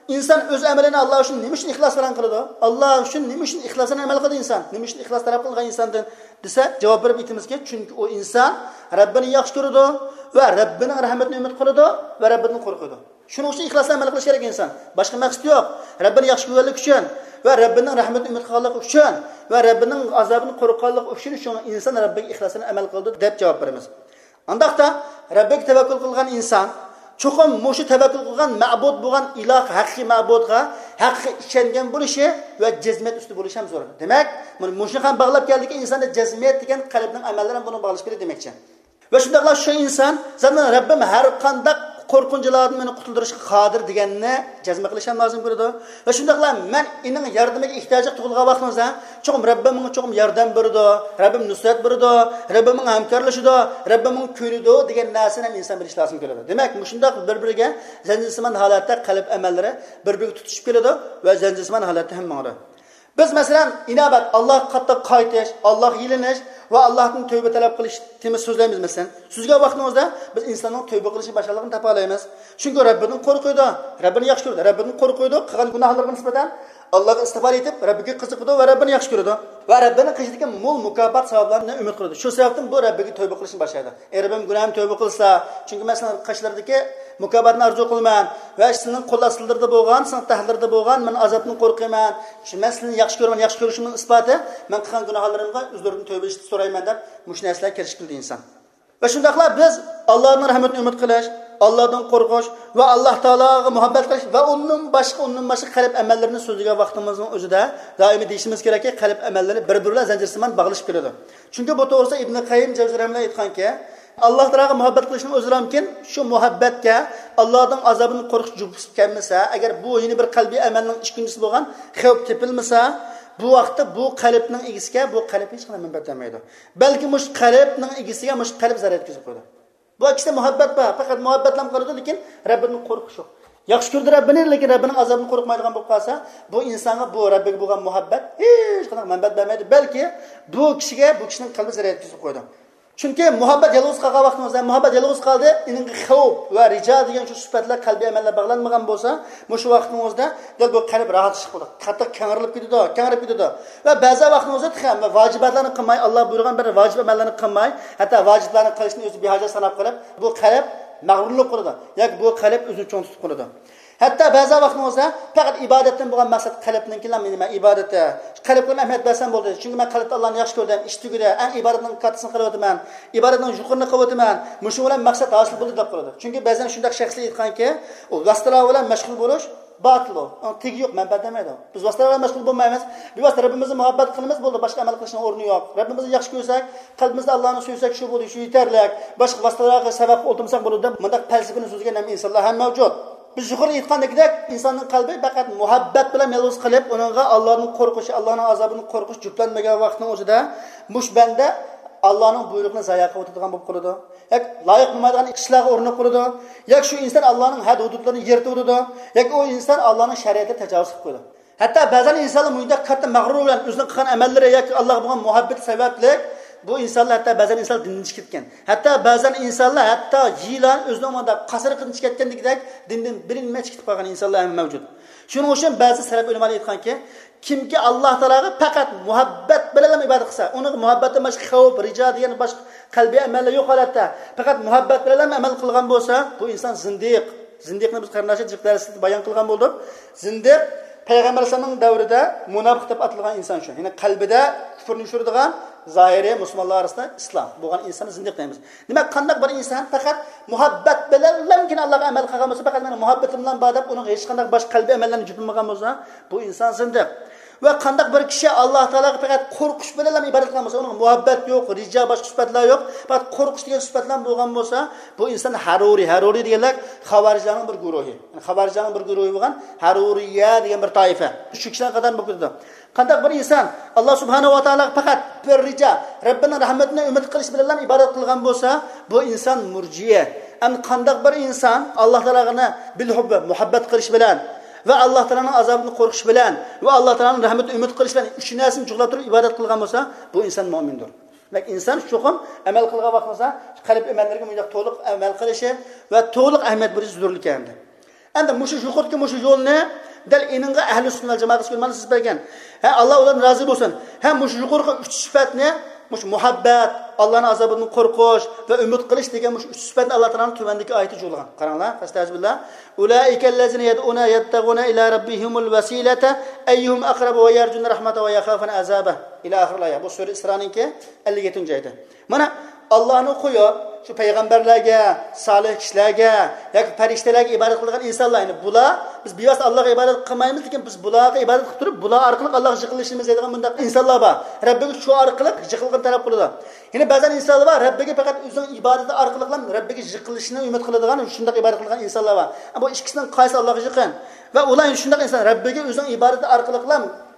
ئىنسان ئۆز ئەمىلىنى ئاللا ئۈچۈن نېمە ئۈچۈن ئىخلاس بىلەن قىلىدۇ؟ ئاللا ئۈچۈن نېمە ئۈچۈن ئىخلاس بىلەن ئەمەل قىلىدۇ ئىنسان؟ نېمە ئۈچۈن ئىخلاس تەلەپ قىلغان ئىنساندىن دېسە، جاۋاب بېرىپ ئېيتىمىزكى، چۈنكى ئۇ ئىنسان رەببىنى ياخشى كۆرىدۇ ۋە رەببىنىڭ رەھمىتىنى ئۈمىد قىلىدۇ ۋە رەببىدىن قورقىدۇ. شۇنىڭ ئۈچۈن ئىخلاس بىلەن ئەمەل قىلىش كېرەك ئىنسان. باشقا مەقسىتى يوق. رەببىنى ياخشى كۆرگەنلىكى ئۈچۈن ۋە رەببىنىڭ رەھمىتىنى ئۈمىد قىلغانلىقى ئۈچۈن ۋە رەببىنىڭ ئازابىدىن قورققانلىقى ئۈچۈن شۇڭا ئىنسان رەببىگە ئىخلاس بىلەن ئەمەل قىلىدۇ دەپ جاۋاب بېرىمىز. ئانداقتا رەببىگە تەۋەككۈل قىلغان ئىنسان چوقۇم مۇشۇ تەۋەككۈل قىلغان مەبۇد بولغان ئىلاھ، ھەقىقىي مەبۇدقا ھەقىقىي ئىشەنگەن بولۇشى ۋە جەزمىيەت ئۈستىدە بولۇشى ھەم زۆرۈر. دېمەك، مانا مۇشۇنى ھەم باغلاپ كەلدىكى، ئىنساندا جەزمىيەت دېگەن قەلبنىڭ ئەمەللىرى ھەم بۇنىڭ باغلىشىپ كېلىدۇ دېمەكچى. ۋە شۇنداقلا شۇ ئىنسان زادى رەببىم ھەر قانداق قورقۇنچلاردىن مېنى قۇتۇلدۇرۇشقا قادىر دېگەننى جەزم قىلىش ھەم لازىم كېلىدۇ. ۋە شۇنداقلا مەن ئېنىڭ ياردىمىگە ئېھتىياجلىق تۇغۇلغان ۋاقتىمىزدا، چوقۇم رەببىم ماڭا چوقۇم ياردەم بېرىدۇ، رەببىم نۇسرەت بېرىدۇ، رەببىم ماڭا ھەمكارلىشىدۇ، رەببىم ماڭا كۆنىدۇ دېگەن نەرسىنى ھەم ئىنسان بىلىشى لازىم كېلىدۇ. دېمەك، مۇشۇنداق بىر-بىرىگە زەنجىرسىمان ھالەتتە قەلب ئەمەللىرى بىر-بىرىگە تۇتىشىپ كېلىدۇ ۋە زەنجىرسىمان ھالەتتە ھەم ماڭىدۇ. بىز، مەسىلەن، ئىنابەت، ئاللاھقا قاتتىق قايتىش، ئاللاھقا يېلىنىش ۋە ئاللاھتىن تەۋبە تەلەپ قىلىش تېمىسى سۆزلەيمىز، مەسىلەن. سۆزلىگەن ۋاقتىمىزدا بىز ئىنساننىڭ تەۋبە قىلىشنى باشقىلارغا تاپالايمىز. چۈنكى رەببىدىن قورقىدۇ، رەببىنى ياخشى كۆرىدۇ، رەببىدىن قورقىدۇ، قىلغان گۇناھلىرىغا نىسبەتەن ئاللاھقا ئىستىغپار ئېيتىپ، رەببىگە قىزىقىدۇ ۋە رەببىنى ياخشى كۆرىدۇ. ۋە رەببىنىڭ قېشىدىكى مول مۇكاپات ساۋابلارنى ئۈمىد قىلىدۇ. شۇ سەۋەبتىن بۇ رەببىگە تەۋبە قىلىشنى باشلايدۇ. ئەي رەببىم، گۇناھىمنى تەۋبە قىلسا، چۈنكى مەن سېنىڭ قېشىڭدىكى مۇكاپاتنى ئارزۇ قىلىمەن ۋە سېنىڭ قول ئاستىلىرىدا بولغان، سېنىڭ تەختلىرىدە بولغان مەن ئازابتىن قورقىمەن. شۇ، مەن سېنى ياخشى كۆرىمەن، ياخشى كۆرۈشۈمنىڭ ئىسپاتى مەن قىلغان گۇناھلىرىمغا ئۆزلىرىدىن تەۋبە ئېيتىشنى سورايمەن دەپ مۇشۇ نەرسىلەرگە كىرىشىپ كېلىدۇ ئىنسان. ۋە شۇنداقلا بىز ئاللانىڭ رەھمىتىنى ئۈمىد قىلىش، ئاللادىن قورقۇش ۋە ئاللا تائالاغا مۇھەببەت قىلىش ۋە ئۇندىن باشقا، ئۇندىن باشقا قەلب ئەمەللىرىنى سۆزلىگەن ۋاقتىمىزنىڭ ئۆزىدە دائىمىي دېيىشىمىز كېرەككى، قەلب ئەمەللىرى بىر-بىرى بىلەن زەنجىرسىمان باغلىشىپ كېلىدۇ. چۈنكى بۇ توغرىسىدا ئىبنى قەييىم جەۋزىي رەھىمەھۇللا ئېيتقانكى، ئاللا تائالاغا مۇھەببەت قىلىشنىڭ ئۆزىلەمكىن، شۇ مۇھەببەتكە ئاللادىن ئازابىدىن قورقۇش جۈپ كەلمىسە، ئەگەر بۇ يەنە بىر قەلبىي ئەمەلنىڭ ئىككىنچىسى بولغان خەۋپ تېپىلمىسا، بۇ ۋاقىتتا بۇ قەلبنىڭ ئىگىسىگە بۇ قەلب ھېچقانداق مەنپەئەت بەرمەيدۇ. بەلكى مۇشۇ قەلبنىڭ ئىگىسىگە مۇشۇ قەلب زەرەر يەتكۈزۈپ قويىدۇ. بۇ ئىككىسىدە مۇھەببەت بار، پەقەت مۇھەببەتلەم قىلىدۇ، لېكىن رەببىدىن قورقۇش يوق. ياخشى كۆرىدۇ رەببىنى، لېكىن رەببىنىڭ ئازابىدىن قورقمايدىغان بولۇپ قالسا، بۇ ئىنسانغا بۇ رەببىگە بولغان مۇھەببەت ھېچقانداق مەنپەئەت بەرمەيدۇ، بەلكى بۇ كىشىگە، بۇ كىشىنىڭ قەلبى زەرەر يەتكۈزۈپ قويىدۇ. چۈنكى مۇھەببەت يالغۇز قالغان ۋاقتىڭىزدا، مۇھەببەت يالغۇز قالدى، ئېنىڭغا خەۋپ ۋە رىجا دېگەن شۇ سۈپەتلەر قەلبىي ئەمەللەر باغلانمىغان بولسا، مۇشۇ ۋاقتىڭىزدا دەل بۇ قەلب راھەتلىشىپ قالىدۇ. قاتتىق كەڭرىلىپ كېتىدۇ، كەڭرىپ كېتىدۇ. ۋە بەزى ۋاقتىڭىزدا تېخى ۋە ۋاجىباتلارنى قىلماي، ئاللا بۇيرۇغان بىر ۋاجىپ ئەمەللەرنى قىلماي، ھەتتا ۋاجىپلارنى قىلىشنى ئۆزى بىھاجەت ساناپ قېلىپ، بۇ قەلب مەغرۇرلۇق قىلىدۇ. ياكى بۇ قەلب ئۆزىنى چوڭ تۇتۇپ قالىدۇ. ھەتتا بەزى ۋاقتىڭىزدا پەقەت ئىبادەتتىن بولغان مەقسەت قەلبنىڭكىلا مېنى مەن ئىبادەتتە، قەلبكە ئەھمىيەت بەرسەم بولدى. چۈنكى مەن قەلبتە ئاللانى ياخشى كۆردۈم، ئىش تۈگىدى، ئەڭ ئىبادەتنىڭ كاتتىسىنى قىلىۋاتىمەن، ئىبادەتنىڭ يۇقىرىنى قىلىۋاتىمەن، مۇشۇ بىلەن مەقسەت ھاسىل بولدى دەپ قالىدۇ. چۈنكى بەزەن شۇنداق شەخسلەر ئېيتقانكى، ئۇ ۋاسىتىلار بىلەن مەشغۇل بولۇش باتىل ئۇ. ئۇنىڭ تېگى يوق، مەنپەئەت بەرمەيدۇ. بىز ۋاسىتىلار بىلەن مەشغۇل بولمايمىز. بىۋاسىتە رەببىمىزنى مۇھەببەت قىلىمىز، بولدى، باشقا ئەمەل قىلىشنىڭ ئورنى يوق. رەببىمىزنى ياخشى كۆرسەك، قەلبىمىزدە ئاللانى سۆيسەك، شۇ بولدى، شۇ يېتەرلىك. باشقا ۋاسىتىلارغا سەۋەب ئولتۇرمىساق بولىدۇ دەپ، مۇنداق پەلسەپىنى سۆزلىگەن ھەم ئىنسانلار ھەم مەۋجۇت. بىز يۇقىرىدا ئېيتقاندەكدەك، ئىنساننىڭ قەلبى پەقەت مۇھەببەت بىلەن يالغۇز قېلىپ، ئۇنىڭغا ئاللانىڭ قورقۇشى، ئاللانىڭ ئازابىدىن قورقۇش جۈپلەنمىگەن ۋاقىتنىڭ ئۆزىدە، مۇشۇ بەندە ئاللانىڭ بۇيرۇقىنى زايا قىلىۋېتىدىغان بولۇپ قالىدۇ. ياكى لايىق بولمايدىغان ئىشلارغا ئۇرۇنۇپ قالىدۇ. ياكى شۇ ئىنسان ئاللانىڭ ھەد ھۇدۇدلىرىنى يىرتىۋېتىدۇ. ياكى ئۇ ئىنسان ئاللانىڭ شەرىئىتىگە تاجاۋۇز قىلىپ قويىدۇ. ھەتتا بەزەن ئىنسانلار مۇنداق كاتتا مەغرۇر بىلەن ئۆزىنىڭ قىلغان ئەمەللىرى ياكى ئاللاغا بولغان مۇھەببىتى سەۋەبلىك بۇ ئىنسانلار، ھەتتا بەزەن ئىنسانلار دىندىن چىقىپ كەتكەن. ھەتتا بەزەن ئىنسانلار ھەتتا يىلان ئۆزىنىڭ مۇنداق قاسرىقىدىن چىقىپ كەتكەندىكىدەك دىندىن بىلىنمەي چىقىپ قالغان ئىنسانلار ھەم مەۋجۇت. شۇنىڭ ئۈچۈن بەزى سەلەف ئۆلىمالار ئېيتقانكى، كىمكى ئاللا تائالاغا پەقەت مۇھەببەت بىلەنلا ئىبادەت قىلسا، ئۇنىڭغا مۇھەببەتتىن باشقا خەۋپ، رىجا دېگەن باشقا قەلبىي ئەمەللەر يوق ھالەتتە، پەقەت مۇھەببەت بىلەنلا ئەمەل قىلغان بولسا، بۇ ئىنسان زىندىق. زىندىقنى بىز قېرىنداشلار جىق دەرسلىكتە بايان قىلغان بولدۇق. زىندىق پەيغەمبەر ئەلەيھىسسالامنىڭ دەۋرىدە مۇناپىق دەپ ئاتالغان ئىنسان شۇ. يەنى قەلبىدە كۇپرنى يوشۇرىدىغان، زاھىرى مۇسۇلمانلار ئارىسىدا ئىسلام بولغان ئىنساننى زىندىق دەيمىز. دېمەك، قانداق بىر ئىنسان پەقەت مۇھەببەت بىلەنلەمكىن ئاللاغا ئەمەل قىلغان بولسا، پەقەت مېنىڭ مۇھەببىتىم بىلەن بار دەپ ئۇنىڭغا ھېچقانداق باشقا قەلبىي ئەمەللەرنى جۈپلىمىغان بولسا، بۇ ئىنسان زىندىق. ۋە قانداق بىر كىشى ئاللا تائالاغا پەقەت قورقۇش بىلەنلا ئىبادەت قىلغان بولسا، ئۇنىڭ مۇھەببەت يوق، رىجا، باشقا سۈپەتلەر يوق، پەقەت قورقۇش دېگەن سۈپەتلەر بولغان بولسا، بۇ ئىنسان ھەرۇرىي، ھەرۇرىي دېگەنلەر خاۋارىجلارنىڭ بىر گۇرۇھى. يەنى خاۋارىجلارنىڭ بىر گۇرۇھى بولغان ھەرۇرىيە دېگەن بىر تائىپە. شۇ كىشىلەرنىڭ قاتارىدا بولۇپ كېتىدۇ. قانداق بىر ئىنسان ئاللا سۇبھانەھۇ ۋە تائالاغا پەقەت بىر رىجا، رەببىنىڭ رەھمىتىنى ئۈمىد قىلىش بىلەنلا ئىبادەت قىلغان بولسا، بۇ ئىنسان مۇرجىئە. ئەمدى قانداق بىر ئىنسان ئاللا تائالاغا بىل ھۇببى، مۇھەببەت قىلىش بىلەن ۋە ئاللا تائالانىڭ ئازابىدىن قورقۇش بىلەن ۋە ئاللا تائالانىڭ رەھمىتىنى ئۈمىد قىلىش بىلەن ئۈچ نەرسىنى جۇغلاپ تۇرۇپ ئىبادەت قىلغان بولسا، بۇ ئىنسان مۇئمىندۇر. دېمەك، ئىنسان چوقۇم ئەمەل قىلغان ۋاقتىمىزدا قەلب ئەمەللىرىگە مۇنداق تولۇق ئەمەل قىلىشى ۋە تولۇق ئەھمىيەت بېرىشى زۆرۈرلۈك ئىكەن. ئەمدى مۇشۇ يۇقىرىدىكى مۇشۇ يولنى دەل ئېنىڭغا ئەھلى سۈننە ۋەل جامائەت ئۆلىمالىرى سىزىپ بەرگەن. ھە، ئاللا ئۇلاردىن رازى بولسۇن. ھە، مۇشۇ يۇقىرىقى ئۈچ سۈپەتنى، مۇشۇ مۇھەببەت، ئاللانىڭ ئازابىدىن قورقۇش ۋە ئۈمىد قىلىش دېگەن مۇشۇ ئۈچ سۈپەتنى ئاللا تائالانىڭ تۆۋەندىكى ئايىتى جۇغلىغان. قاراڭلار، فەستەئىزبىللا. ئۇلائىكەللەزىنە يەدئۇنە يەبتەغۇنە ئىلا رەببىھىمۇل ۋەسىلەتە ئەييۇھۇم ئەقرەبۇ ۋە يەرجۇنە رەھمەتەھۇ ۋە يەخافۇنە ئەزابەھ. ئىلا ئاخىرىل ئايە. بۇ سۈرە ئىسرانىڭكى ئەللىك يەتتىنچى ئايىتى. مانا، ئاللانى قويۇپ، شۇ پەيغەمبەرلەرگە، سالىھ كىشىلەرگە ياكى پەرىشتىلەرگە ئىبادەت قىلىدىغان ئىنسانلار، يەنى بۇلار، بىز بىۋاسىتە ئاللاغا ئىبادەت قىلمايمىز، لېكىن بىز بۇلارغا ئىبادەت قىلىپ تۇرۇپ، بۇلار ئارقىلىق ئاللاغا يېقىنلىشىمىز دەيدىغان بۇنداق ئىنسانلار بار. رەببىگە شۇ ئارقىلىق يېقىنلىقنى تەلەپ قىلىدۇ. يەنە بەزەن ئىنسانلار بار، رەببىگە پەقەت ئۆزىنىڭ ئىبادىتى ئارقىلىقلا رەببىگە يېقىنلىشىشنى ئۈمىد قىلىدىغان، شۇنداق ئىبادەت قىلىدىغان ئىنسانلار بار. بۇ ئىككىسىنىڭ قايسى ئاللاغا يېقىن؟ ۋە ئۇلار شۇنداق ئىنسان، رەببىگە ئۆزىنىڭ ئىبادىتى ئارقىلىقلا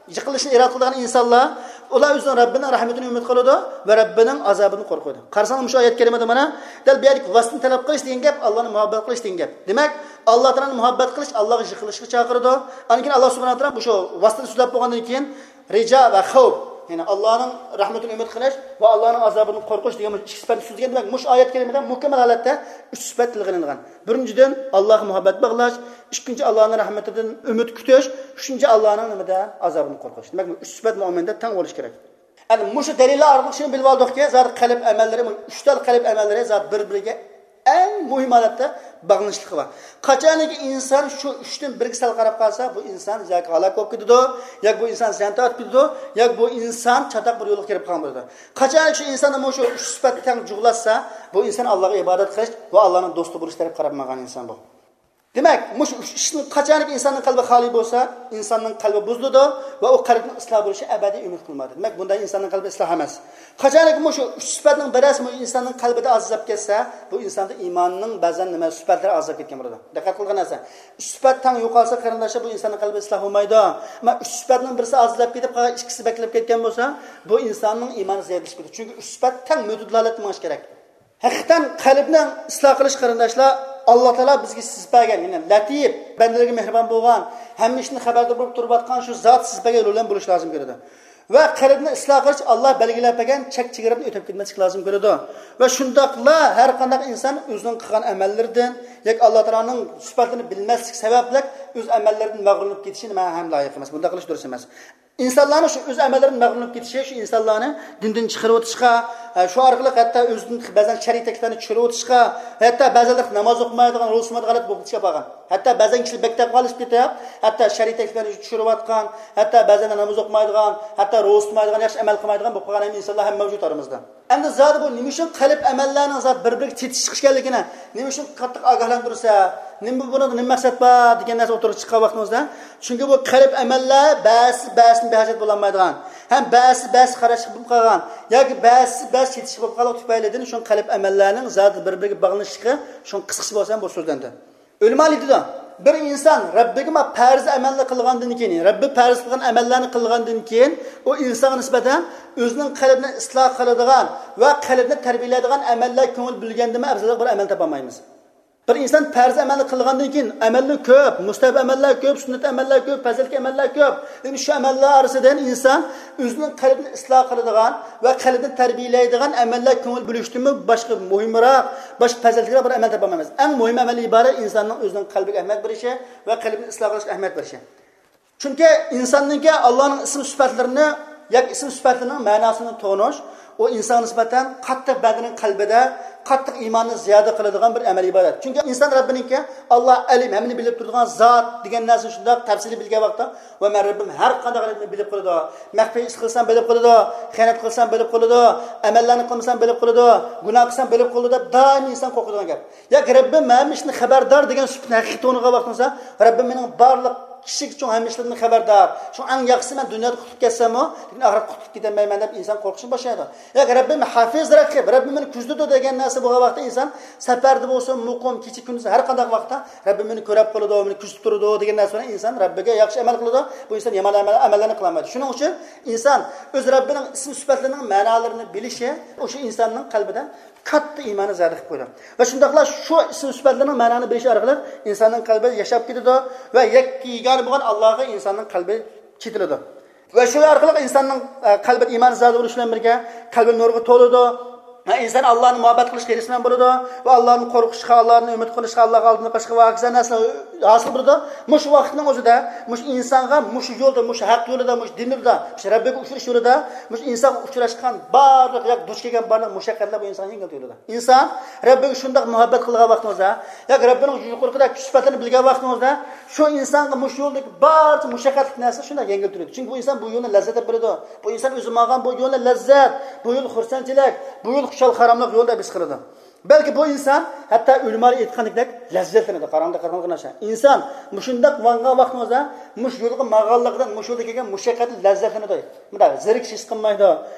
يېقىنلىشىشنى ئىرادە قىلىدىغان ئىنسانلار، ئۇلار ئۆزىنىڭ رەببىنىڭ رەھمىتىنى ئۈمىد قىلىدۇ ۋە رەببىنىڭ ئازابىدىن قورقىدۇ. قارىساڭلار، مۇشۇ ئايەت كەرىمىدە مانا دەل بۇ يەردىكى ۋاسىتىنى تەلەپ قىلىش دېگەن گەپ، ئاللانى مۇھەببەت قىلىش دېگەن گەپ. دېمەك، ئاللا تائالانى مۇھەببەت قىلىش ئاللاغا يېقىنلىشىشقا چاقىرىدۇ. ئاندىن كېيىن ئاللا سۇبھانەھۇ ۋە تائالا مۇشۇ ۋاسىتىنى سۆزلەپ بولغاندىن كېيىن رىجا ۋە خەۋپ، يەنى ئاللانىڭ رەھمىتىنى ئۈمىد قىلىش ۋە ئاللانىڭ ئازابىدىن قورقۇش دېگەن مۇشۇ ئىككى سۈپەتنى سۆزلىگەن. دېمەك، مۇشۇ ئايەت كەرىمىدە مۇكەممەل ھالەتتە ئۈچ سۈپەت تىلغا ئېلىنغان. بىرىنچىدىن، ئاللاغا مۇھەببەت باغلاش، ئىككىنچى، ئاللانىڭ رەھمىتىدىن ئۈمىد كۈتۈش، ئۈچىنچى، ئاللانىڭ نېمىدە؟ ئازابىدىن قورقۇش. دېمەك، بۇ ئۈچ سۈپەت مۆمىندە تەڭ بولۇشى كېرەك. ئەمدى مۇشۇ دەلىللەر ئارقىلىق شۇنى بىلىپ ئالدۇقكى، زادى قەلب ئەمەللىرى، مۇشۇ ئۈچ تال قەلب ئەمەللىرى زادى بىر-بىرىگە ئەڭ مۇھىم ھالەتتە باغلىنىشلىقى بار. قاچانكى ئىنسان شۇ ئۈچتىن بىرىگە سەل قاراپ قالسا، بۇ ئىنسان ياكى ھالاك بولۇپ كېتىدۇ، ياكى بۇ ئىنسان زىيان تارتىپ كېتىدۇ، ياكى بۇ ئىنسان چاتاق بىر يولغا كىرىپ قالغان بولىدۇ. قاچانكى شۇ ئىنساندا مۇشۇ ئۈچ سۈپەت تەڭ جۇغلاشسا، بۇ ئىنسان ئاللاغا ئىبادەت قىلىش ۋە ئاللانىڭ دوستى بولۇش تەرەپ قاراپ ماڭغان ئىنسان بۇ. دېمەك، مۇشۇ ئۈچ ئىشتىن قاچانكى ئىنساننىڭ قەلبى خالىي بولسا، ئىنساننىڭ قەلبى بۇزۇلىدۇ ۋە ئۇ قەلبنىڭ ئىسلاھ بولۇشى ئەبەدىي ئۈمىد قىلمايدۇ. دېمەك، بۇنداق ئىنساننىڭ قەلبى ئىسلاھ ئەمەس. قاچانكى مۇشۇ ئۈچ سۈپەتنىڭ بىرەرسى مۇشۇ ئىنساننىڭ قەلبىدە ئازلاپ كەتسە، بۇ ئىنساندا ئىماننىڭ بەزەن نېمە سۈپەتلىرى ئازلاپ كەتكەن بولىدۇ. دىققەت قىلغان نەرسە، ئۈچ سۈپەت تەڭ يوقالسا، قېرىنداشلار، بۇ ئىنساننىڭ قەلبى ئىسلاھ بولمايدۇ. ئەمما ئۈچ سۈپەتنىڭ بىرسى ئازلاپ كېتىپ، قالغان ئىككىسى بەكلەپ كەتكەن بولسا، بۇ ئىنساننىڭ ئىمانى زەئىپلىشىپ كېتىدۇ. چۈنكى ئۈچ سۈپەت تەڭ مۆتىدىل ھالەتتە مېڭىش كېرەك. ھەقىقەتەن قەلبنى ئىسلاھ قىلىش، قېرىنداشلار، ئاللا تائالا بىزگە سىزىپ بەرگەن، يەنى لەتىپ، بەندىلىرىگە مېھرىبان بولغان، ھەممە ئىشتىن خەۋەردار بولۇپ تۇرۇۋاتقان شۇ زات سىزىپ بەرگەن يول بىلەن بولۇشى لازىم كېلىدۇ. ۋە قەلبنى ئىسلاھ قىلىش ئاللا بەلگىلەپ بەرگەن چەك چېگرىدىن ئۆتۈپ كەتمەسلىك لازىم كېلىدۇ. ۋە شۇنداقلا ھەر قانداق ئىنسان ئۆزىنىڭ قىلغان ئەمەللىرىدىن ياكى ئاللا تائالانىڭ سۈپەتلىرىنى بىلمەسلىك سەۋەبلىك ئۆز ئەمەللىرىدىن مەغرۇرلىنىپ كېتىشى نېمە ھەم لايىق ئەمەس. بۇنداق قىلىش دۇرۇس ئەمەس. ئىنسانلارنىڭ شۇ ئۆز ئەمەللىرىدىن مەغرۇرلىنىپ كېتىشى شۇ ئىنسانلارنى دىندىن چىقىرىۋېتىشقا، ئە، شۇ ئارقىلىق ھەتتا ئۆزىدىن بەزەن شەرئىي تەكلىپلەرنى چۈشۈرۈۋېتىشقا، ھەتتا بەزەنلەر ناماز ئوقۇمايدىغان، روزا تۇتمايدىغان ھالەتكە بولۇپ كېتىشكە بارغان. ھەتتا بەزەن كىشىلەر بەك تەقۋالىشىپ كېتىپ، ھەتتا شەرئىي تەكلىپلەرنى چۈشۈرۈۋاتقان، ھەتتا بەزەن ناماز ئوقۇمايدىغان، ھەتتا روزا تۇتمايدىغان، ياخشى ئەمەل قىلمايدىغان بولۇپ قالغان ھەم ئىنسانلار ھەم مەۋجۇت ئارىمىزدا. ئەمدى زادى بۇ نېمە ئۈچۈن قەلب ئەمەللەرنىڭ زادى بىر-بىرىگە چېتىشىپ چىقىش ئىكەنلىكىنى، نېمە ئۈچۈن قاتتىق ئاگاھلاندۇرسا، نېمە بۇنىڭدا نېمە مەقسەت بار دېگەن نەرسە ئوتتۇرىغا چىققان ۋاقتىمىزدا، چۈنكى بۇ قەلب ئەمەللەر بەزىسى بەزىسىدىن بىھاجەت بولالمايدىغان، ھەم بەزىسى بەزىسى قاراشلىق بولۇپ قالغان ياكى بەزىسى بەزىسى چېتىشلىق بولۇپ قالغان تۈپەيلىدىن شۇ قەلب ئەمەللەرنىڭ زادى بىر-بىرىگە باغلىنىشلىقى شۇ قىسقىچە بولسا ھەم بۇ سۆزلەندى. ئۆلىمالار ئېيتىدۇ، بىر ئىنسان رەببىگە ما پەرز ئەمەلنى قىلغاندىن كېيىن، رەببى پەرز قىلغان ئەمەللەرنى قىلغاندىن كېيىن، ئۇ ئىنسانغا نىسبەتەن ئۆزىنىڭ قەلبىنى ئىسلاھ قىلىدىغان ۋە قەلبىنى تەربىيەلەيدىغان ئەمەللەر كۆڭۈل بۆلگەندىنمۇ ئەۋزەلرەك بىر ئەمەل تاپالمايمىز. بىر ئىنسان پەرز ئەمەلنى قىلغاندىن كېيىن، ئەمەللىرى كۆپ، مۇستەھەب ئەمەللەر كۆپ، سۈننەت ئەمەللەر كۆپ، پەزىلەتلىك ئەمەللەر كۆپ. لېكىن شۇ ئەمەللەر ئارىسىدىن ئىنسان ئۆزىنىڭ قەلبىنى ئىسلاھ قىلىدىغان ۋە قەلبىنى تەربىيەلەيدىغان ئەمەللەر كۆڭۈل بۆلۈشتىنمۇ باشقا مۇھىمراق، باشقا پەزىلەتلىكرەك بىر ئەمەل تاپالمايمىز. ئەڭ مۇھىم ئەمەل ئىبارەت ئىنساننىڭ ئۆزىنىڭ قەلبىگە ئەھمىيەت بېرىشى ۋە قەلبىنى ئىسلاھ قىلىشقا ئەھمىيەت بېرىشى. چۈنكى ئىنساننىڭكى ئاللانىڭ ئىسىم سۈپەتلىرىنى ياكى ئىسىم سۈپەتلىرىنىڭ مەناسىنى تونۇش، ئۇ ئىنسانغا نىسبەتەن قاتتىق بەندىنىڭ قەلبىدە قاتتىق ئىماننى زىيادە قىلىدىغان بىر ئەمەل ئىبادەت. چۈنكى ئىنسان رەببىنىڭكى، ئاللا ئەلىم، ھەممىنى بىلىپ تۇرىدىغان زات دېگەن نەرسىنى شۇنداق تەپسىلىي بىلگەن ۋاقىتتا، ۋە مەن رەببىم ھەر قانداق ئەمەلنى بىلىپ قالىدۇ. مەخپىي ئىش قىلسام بىلىپ قالىدۇ، خىيانەت قىلسام بىلىپ قالىدۇ، ئەمەللەرنى قىلمىسام بىلىپ قالىدۇ، گۇناھ قىلسام بىلىپ قالىدۇ دەپ دائىم ئىنسان قورقىدىغان گەپ. ياكى رەببىم ھەممە ئىشتىن خەۋەردار دېگەن سۈپىتىنى ھەقىقىي تونۇغان ۋاقتىڭىزدا، رەببىم مېنىڭ بارلىق كىچىك چوڭ ھەممە ئىشلىرىمدىن خەۋەردار. شۇڭا ئەڭ ياخشىسى مەن دۇنيادا قۇتۇلۇپ كەتسەممۇ، لېكىن ئاخىرەتتە قۇتۇلۇپ كېتەلمەيمەن دەپ ئىنسان قورقۇشقا باشلايدۇ. ياكى رەببىم ھافىز رەقىب، رەببىم مېنى كۆزىتىدۇ دېگەن نەرسە بولغان ۋاقىتتا ئىنسان سەپەردە بولسۇن، مۇقىم، كېچە كۈندۈز ھەر قانداق ۋاقىتتا رەببىم مېنى كۆرەپ قالىدۇ، مېنى كۆزىتىپ تۇرىدۇ دېگەن نەرسە بىلەن ئىنسان رەببىگە ياخشى ئەمەل قىلىدۇ. بۇ ئىنسان يامان ئەمەل، ئەمەللەرنى قىلالمايدۇ. شۇنىڭ ئۈچۈن ئىنسان ئۆز رەببىنىڭ ئىسىم سۈپەتلىرىنىڭ مەنالىرىنى بىلىشى، ئۇ شۇ ئىنساننىڭ قەلبىدە كاتتا ئىماننى زىيادە قىلىپ قويىدۇ. ۋە شۇنداقلا شۇ ئىسىم سۈپەتلىرىنىڭ مەنانى بىلىشى ئارقىلىق ئىنساننىڭ قەلبى ياشاپ كېتىدۇ ۋە يەككە يېگانە بولغان ئاللاغا ئىنساننىڭ قەلبى چېتىلىدۇ. ۋە شۇ ئارقىلىق ئىنساننىڭ، ئە، قەلبىدە ئىمان زىيادە بولۇش بىلەن بىرگە قەلبى نۇرغا تولىدۇ. ۋە ئىنسان ئاللانى مۇھەببەت قىلىشقا ھېرىسمەن بولىدۇ. ۋە ئاللادىن قورقۇشقا، ئاللادىن ئۈمىد قىلىشقا، ئاللاغا ئالدىنىپ قېلىشقا ۋە ھاكازا نەرسىلەر ھاسىل بولىدۇ. مۇشۇ ۋاقىتنىڭ ئۆزىدە، مۇشۇ ئىنسانغا مۇشۇ يولدا، مۇشۇ ھەق يولىدا، مۇشۇ دىن يولىدا، مۇشۇ رەببىگە ئۇچرىشىش يولىدا، مۇشۇ ئىنسانغا ئۇچراشقان بارلىق ياكى دۇچ كەلگەن بارلىق مۇشەققەتلەر بۇ ئىنسانغا يەڭگىل تۇيۇلىدۇ. ئىنسان رەببىگە شۇنداق مۇھەببەت قىلغان ۋاقتىڭىزدا، ياكى رەببىنىڭ يۇقىرىقىدەك كۈچ سۈپەتلىرىنى بىلگەن ۋاقتىڭىزدا، شۇ ئىنسانغا مۇشۇ يولدىكى بارچە مۇشەققەتلىك نەرسە شۇنداق يەڭگىل تۇيۇلىدۇ. چۈنكى بۇ ئىنسان بۇ يولنى لەززەت دەپ بىلىدۇ. بۇ ئىنسان ئۆزى ماڭغان بۇ يولنى لەززەت، بۇ يول خۇرسەنچىلىك، بۇ يول خۇشال-خۇراملىق يولى دەپ ھېس قىلىدۇ. بەلكى بۇ ئىنسان ھەتتا ئۆلىمالار ئېيتقاندەك لەززەتلىنىدۇ. قاراڭدا قارىغاندا ناشا. ئىنسان مۇشۇنداق ماڭغان ۋاقتىڭىزدا مۇشۇ يولغا ماڭغانلىقىدىن، مۇشۇ يولدا كەلگەن مۇشەققەتنى لەززەتلىنىدۇ. مۇنداق زېرىكىش ھېس قىلمايدۇ،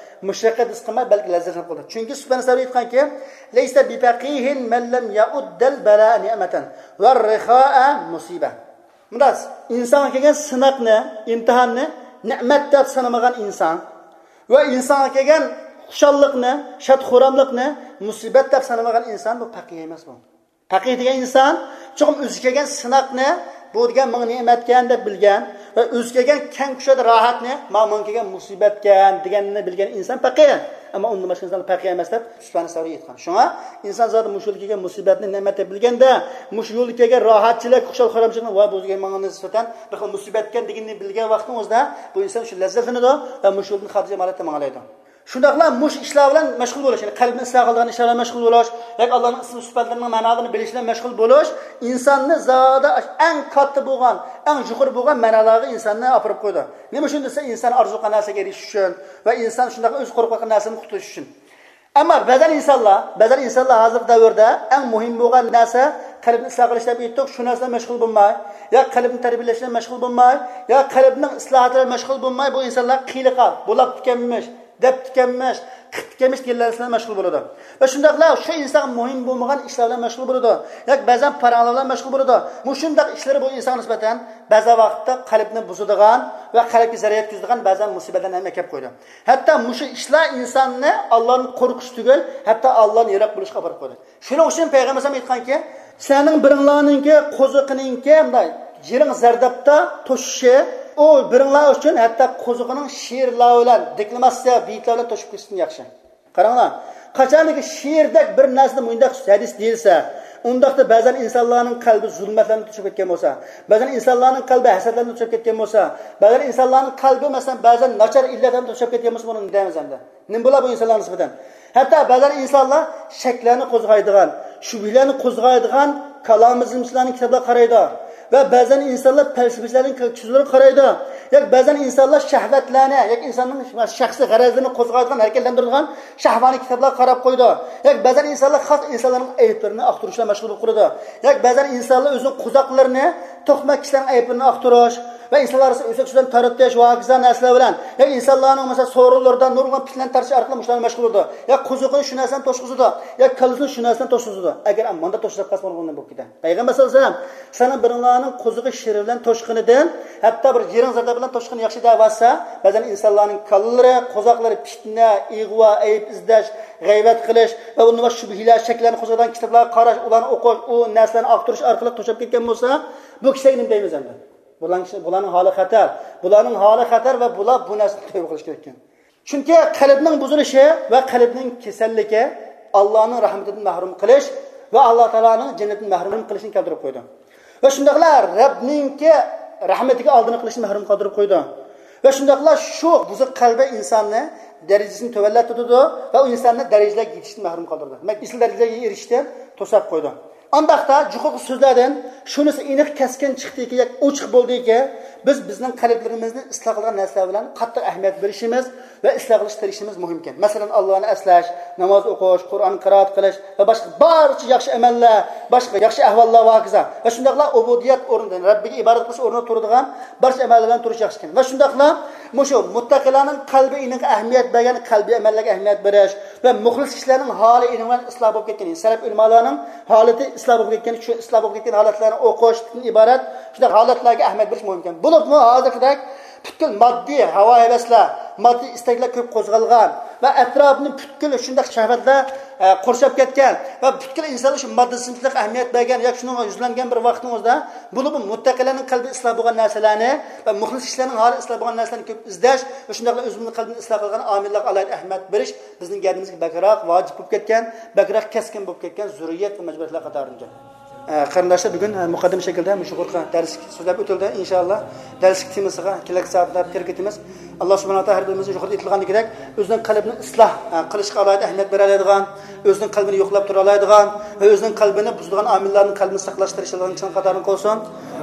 مۇشەققەت ھېس قىلماي، بەلكى لەززەتلىنىپ قالىدۇ. چۈنكى سۇپيان سەۋرى ئېيتقانكى، لەيسە بىپەقىھىن مەن لەم يەئۇددەل بەلائە نىئمەتەن ۋەر رىخائە مۇسىبە. مۇنداق، ئىنسانغا كەلگەن سىناقنى، ئىمتىھاننى نېمەت دەپ سانىمىغان ئىنسان ۋە ئىنسانغا كەلگەن خۇشاللىقنى، شاد-خۇراملىقنى مۇسىبەت دەپ سانىمىغان ئىنسان بۇ پەقىھ ئەمەس بۇ. پەقىھ دېگەن ئىنسان چوقۇم ئۆزىگە كەلگەن سىناقنى، بۇ دېگەن ماڭا نېمەتكەن دەپ بىلگەن ۋە ئۆزىگە كەلگەن كەڭ كۇشادە راھەتنى، مانا ماڭا كەلگەن مۇسىبەتكەن دېگەننى بىلگەن ئىنسان پەقىھ. ئەمما ئۇندىن باشقا ئىنسانلار پەقىھ ئەمەس دەپ سۇپيان سەۋرى ئېيتقان. شۇڭا ئىنسان زادى مۇشۇ يولدا كەلگەن مۇسىبەتنى نېمەت دەپ بىلگەندە، مۇشۇ يولدا كەلگەن راھەتچىلىك، خۇشال-خۇرامچىلىقنى، ۋاي بۇ دېگەن ماڭا نىسبەتەن بىر خىل مۇسىبەتكەن دېگىنىنى بىلگەن ۋاقتىڭىزدا، بۇ ئىنسان شۇ لەززەتلىنىدۇ ۋە مۇشۇ يولدىن خاتىرجەم ھالەتتە ماڭالايدۇ. شۇنداقلا مۇشۇ ئىشلار بىلەن مەشغۇل بولۇش، يەنى قەلبنى ئىسلاھ قىلىدىغان ئىشلار بىلەن مەشغۇل بولۇش، ياكى ئاللانىڭ ئىسمى سۈپەتلىرىنىڭ مەنالىرىنى بىلىش بىلەن مەشغۇل بولۇش ئىنساننى زادى ئەڭ كاتتا بولغان، ئەڭ يۇقىرى بولغان مەنالارغا ئىنساننى ئاپىرىپ قويىدۇ. نېمە ئۈچۈن دېسە، ئىنسان ئارزۇ قىلغان نەرسىگە ئېرىشىش ئۈچۈن ۋە ئىنسان شۇنداق ئۆزى قورقۇۋاتقان نەرسىدىن قۇتۇلۇش ئۈچۈن. ئەمما بەزەن ئىنسانلار، بەزەن ئىنسانلار ھازىرقى دەۋردە ئەڭ مۇھىم بولغان نەرسە قەلبنى ئىسلاھ قىلىش دەپ ئېيتتۇق، شۇ نەرسە بىلەن مەشغۇل بولماي، يا قەلبنى تەربىيەلەش بىلەن مەشغۇل بولماي، يا قەلبنىڭ ئىسلاھاتى بىلەن مەشغۇل بولماي، بۇ ئىنسانلار قىلىقا، بولاپتىكەنمىش، دەپتىكەنمىش، قىپتىكەنمىش دېگەن نەرسە بىلەن مەشغۇل بولىدۇ. ۋە شۇنداقلا شۇ ئىنسانغا مۇھىم بولمىغان ئىشلار بىلەن مەشغۇل بولىدۇ. ياكى بەزەن پاراڭلار بىلەن مەشغۇل بولىدۇ. مۇشۇنداق ئىشلىرى بۇ ئىنسانغا نىسبەتەن بەزى ۋاقىتتا قەلبنى بۇزىدىغان ۋە قەلبكە زەرەر يەتكۈزىدىغان بەزەن مۇسىبەتلەرنى ھەم ئەكەپ قويىدۇ. ھەتتا مۇشۇ ئىشلار ئىنساننى ئاللادىن قورقۇش تۈگۈل، ھەتتا ئاللادىن يىراق بولۇشقا ئاپىرىپ قويىدۇ. شۇنىڭ ئۈچۈن پەيغەمبەر ئەلەيھىسسالام ئېيتقانكى، سىلەرنىڭ بىرىڭلارنىڭكى قوزىقىنىڭكى مۇنداق يىرىڭ زەردابتا توشۇشى ئۇ بىرىڭلار ئۈچۈن ھەتتا قوزۇقىنىڭ شېئىرلار بىلەن، دېكلاماتسىيە بېيىتلار بىلەن توشۇپ كېتىشتىن ياخشى. قاراڭلار، قاچانكى شېئىردەك بىر نەرسىدە مۇنداق ھەدىس دېيىلسە، ئۇنداقتا بەزەن ئىنسانلارنىڭ قەلبى زۇلمەتلەرنى توشۇپ كەتكەن بولسا، بەزەن ئىنسانلارنىڭ قەلبى ھەسەتلەرنى توشۇپ كەتكەن بولسا، بەزەن ئىنسانلارنىڭ قەلبى، مەسىلەن، بەزەن ناچار ئىللەتلەرنى توشۇپ كەتكەن بولسا، بۇنى نېمە دەيمىز ئەمدى؟ نېمە بولار بۇ ئىنسانلارغا نىسبەتەن؟ ھەتتا بەزەن ئىنسانلار شەكلەرنى قوزغايدىغان، شۈبھىلەرنى قوزغايدىغان كالامىزمچىلارنىڭ كىتابلىرىغا قارايدۇ ۋە بەزەن ئىنسانلار پەلسەپىچىلەرنىڭ سۆزلىرىگە قارايدۇ. ياكى بەزەن ئىنسانلار شەھۋەتلەرنى، ياكى ئىنساننىڭ شەخسىي غەرەزلىرىنى قوزغايدىغان، ھەرىكەتلەندۈرىدىغان شەھۋانىي كىتابلارغا قاراپ قويىدۇ. ياكى بەزەن ئىنسانلار خاس ئىنسانلارنىڭ ئەيىبلىرىنى ئاختۇرۇش بىلەن مەشغۇل بولۇپ قالىدۇ. ياكى بەزەن ئىنسانلار ئۆزىنىڭ قوزاقلىرىنى، توقماق كىشىلەرنىڭ ئەيىبلىرىنى ئاختۇرۇش ۋە ئىنسانلار ئارىسىدا ئۆسەك سۆزلەرنى تارىتىش ۋە ھاكازا نەرسىلەر بىلەن، ياكى ئىنسانلارنىڭ، مەسىلەن، سورۇنلىرىدا نۇرغۇن پىتنىلەرنى تارتىش ئارقىلىق مۇشۇلارنى مەشغۇل بولىدۇ. يا قوزۇقىنى شۇ نەرسىنى توشقۇزىدۇ، يا كاللىسىنى شۇ نەرسىنى توشقۇزىدۇ. ئەگەر مانداق توشقۇزۇپ قالسا، بولغان بولۇپ كېتە. پەيغەمبەر سەللەللاھۇ ئەلەيھى ۋەسەللەم، سىلەرنىڭ بىرىڭلارنىڭ قوزۇقى شېئىر بىلەن توشقىنىدىن، ھەتتا بىر يىرىڭ زەرداب بىلەن توشقىنى ياخشى دەۋاتسا، بەزەن ئىنسانلارنىڭ كاللىلىرى، قوزاقلىرى پىتنە، ئىغۋا، ئەيىب ئىزدەش، غەيۋەت قىلىش ۋە ئۇندىن باشقا شۈبھىلەر، شەكلەرنى قوزغايدىغان كىتابلارغا قاراش، ئۇلارنى ئوقۇش، ئۇ نەرسىلەرنى ئاختۇرۇش ئارقىلىق توشۇپ كەتكەن بولسا، بۇ كىشىلەرگە نېمە دەيمىز ئەمدى؟ بۇلارنىڭ، بۇلارنىڭ ھالى خەتەر. بۇلارنىڭ ھالى خەتەر ۋە بۇلار بۇ نەرسىدىن تەۋبە قىلىش كېرەك ئىكەن. چۈنكى قەلبنىڭ بۇزۇلۇشى ۋە قەلبنىڭ كېسەللىكى ئاللانىڭ رەھمىتىدىن مەھرۇم قىلىش ۋە ئاللا تائالانىڭ جەننىتىدىن مەھرۇم قىلىشنى كەلتۈرۈپ قويىدۇ. ۋە شۇنداقلا رەبنىڭكى رەھمىتىگە ئالدىنى قىلىشنى مەھرۇم قالدۇرۇپ قويىدۇ. ۋە شۇنداقلا شۇ بۇزۇق قەلبى ئىنساننى دەرىجىسىنى تۆۋەنلەتتۈرىدۇ ۋە ئۇ ئىنساننى دەرىجىلەرگە يېتىشتىن مەھرۇم قالدۇرىدۇ. دېمەك، ئېسىل دەرىجىلەرگە ئېرىشىشتىن توساپ قويىدۇ. ئانداقتا جۇقىرىقى سۆزلەردىن شۇنىسى ئېنىق كەسكىن چىقتىكى، ياكى ئوچۇق بولدىكى، بىز بىزنىڭ قەلبلىرىمىزنى ئىسلاھ قىلىدىغان نەرسىلەر بىلەن قاتتىق ئەھمىيەت بېرىشىمىز ۋە ئىسلاھ قىلىشقا تىرىشىشىمىز مۇھىمكەن. مەسىلەن، ئاللانى ئەسلەش، ناماز ئوقۇش، قۇرئان قىرائەت قىلىش ۋە باشقا بارچە ياخشى ئەمەللەر، باشقا ياخشى ئەھۋاللار ۋە ھاكازا. ۋە شۇنداقلا ئۇبۇدىيەت ئورنىدا، رەببىگە ئىبادەت قىلىش ئورنىدا تۇرىدىغان بارچە ئەمەللەر بىلەن تۇرۇش ياخشىكەن. ۋە شۇنداقلا مۇشۇ مۇتتەقىلەرنىڭ قەلبى ئېنىقى ئەھمىيەت بەرگەن قەلبىي ئەمەللەرگە ئەھمىيەت بېرىش ۋە مۇخلىس كىشىلەرنىڭ ھالى ئېنىق بىلەن ئىسلاھ بولۇپ كەتكەن، سەلەپ ئۆلىمالارنىڭ ھالىتى ئىسلاھ بولۇپ كەتكەن، شۇ ئىسلاھ بولۇپ كەتكەن ھالەتلەرنى ئوقۇشتىن ئىبارەت شۇنداق ھالەتلەرگە ئەھمىيەت بېرىش مۇھىمكەن. بولۇپمۇ ھازىرقىدەك پۈتكۈل ماددىي ھاۋا ھەۋەسلەر، ماددىي ئىستەكلەر كۆپ قوزغالغان ۋە ئەتراپنى پۈتكۈل شۇنداق شەھۋەتلەر، ئە، قورشاپ كەتكەن ۋە پۈتكۈل ئىنسانلار شۇ ماددىي سىنچىلىققا ئەھمىيەت بەرگەن ياكى شۇنىڭغا يۈزلەنگەن بىر ۋاقتىڭىزدا، بولۇپمۇ مۇتتەقىلەرنىڭ قەلبى ئىسلاھ بولغان نەرسىلەرنى ۋە مۇخلىس كىشىلەرنىڭ ھالى ئىسلاھ بولغان نەرسىلەرنى كۆپ ئىزدەش ۋە شۇنداقلا ئۆزىمىزنىڭ قەلبىنى ئىسلاھ قىلغان ئامىللارغا ئالاھىدە ئەھمىيەت بېرىش بىزنىڭ گەدىنىمىزگە بەكرەك ۋاجىپ بولۇپ كەتكەن، بەكرەك كەسكىن بولۇپ كەتكەن زۆرۈرىيەت ۋە مەجبۇرىيەتلەر قاتارىدىكەن. ئە، قېرىنداشلار، بۈگۈن، ئە، مۇقەددىمە شەكىلدە مۇشۇ يۇقىرىقى دەرس سۆزلەپ ئۆتۈلدى. ئىنشائاللا، دەرسلىك تېمىسىغا كېلەكسى ھەپتىدە كىرىپ كېتىمىز. ئاللا سۇبھانەھۇ ۋە تائالا ھەر بىرىمىزنى يۇقىرىدا ئېيتىلغاندىكىدەك ئۆزىنىڭ قەلبىنى ئىسلاھ، ئە، قىلىشقا ئالاھىدە ئەھمىيەت بېرەلەيدىغان، ئۆزىنىڭ قەلبىنى يوقلاپ تۇرالايدىغان ۋە ئۆزىنىڭ قەلبىنى بۇزىدىغان ئامىللارنى قەلبىنى ساقلاشقا تىرىشىدىغان كىشىلەرنىڭ قاتارىدىن قىلسۇن.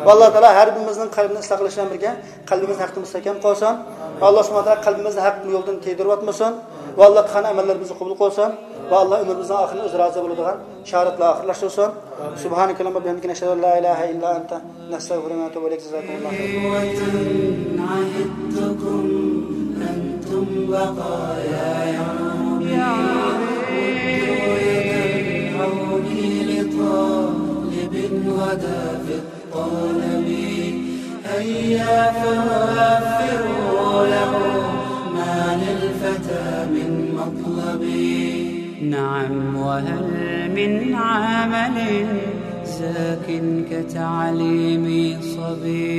ۋە ئاللا تائالا ھەر بىرىمىزنىڭ قەلبىنى ئىسلاھ قىلىش بىلەن بىرگە، قەلبىمىزنى ھەقتە مۇستەھكەم قىلسۇن. ۋە ئاللا سۇبھانەھۇ ۋە تائالا قەلبىمىزنى ھەق يولدىن تىيدۇرۇۋەتمىسۇن. ۋە ئاللا قىلغان ئەمەللىرىمىزنى قوبۇل قىلسۇن. ۋە ئاللا ئۆمرىمىزنىڭ ئاخىرىنى ئۆزى رازى بولىدىغان شاھادەت بىلەن ئاخىرلاشتۇرسۇن. سبحانك اللهم وبحمدك، نشهد أن لا إله إلا أنت، نستغفرك ونتوب إليك. جزاكم الله خيرا. عهدتكم أنتم بقايا يومي، ردوا يد العون لطالب غدا في الطلب. هيا فوفروا له ما للفتى من مطلب. نعم، وهل من عمل زاك كتعليم صبي؟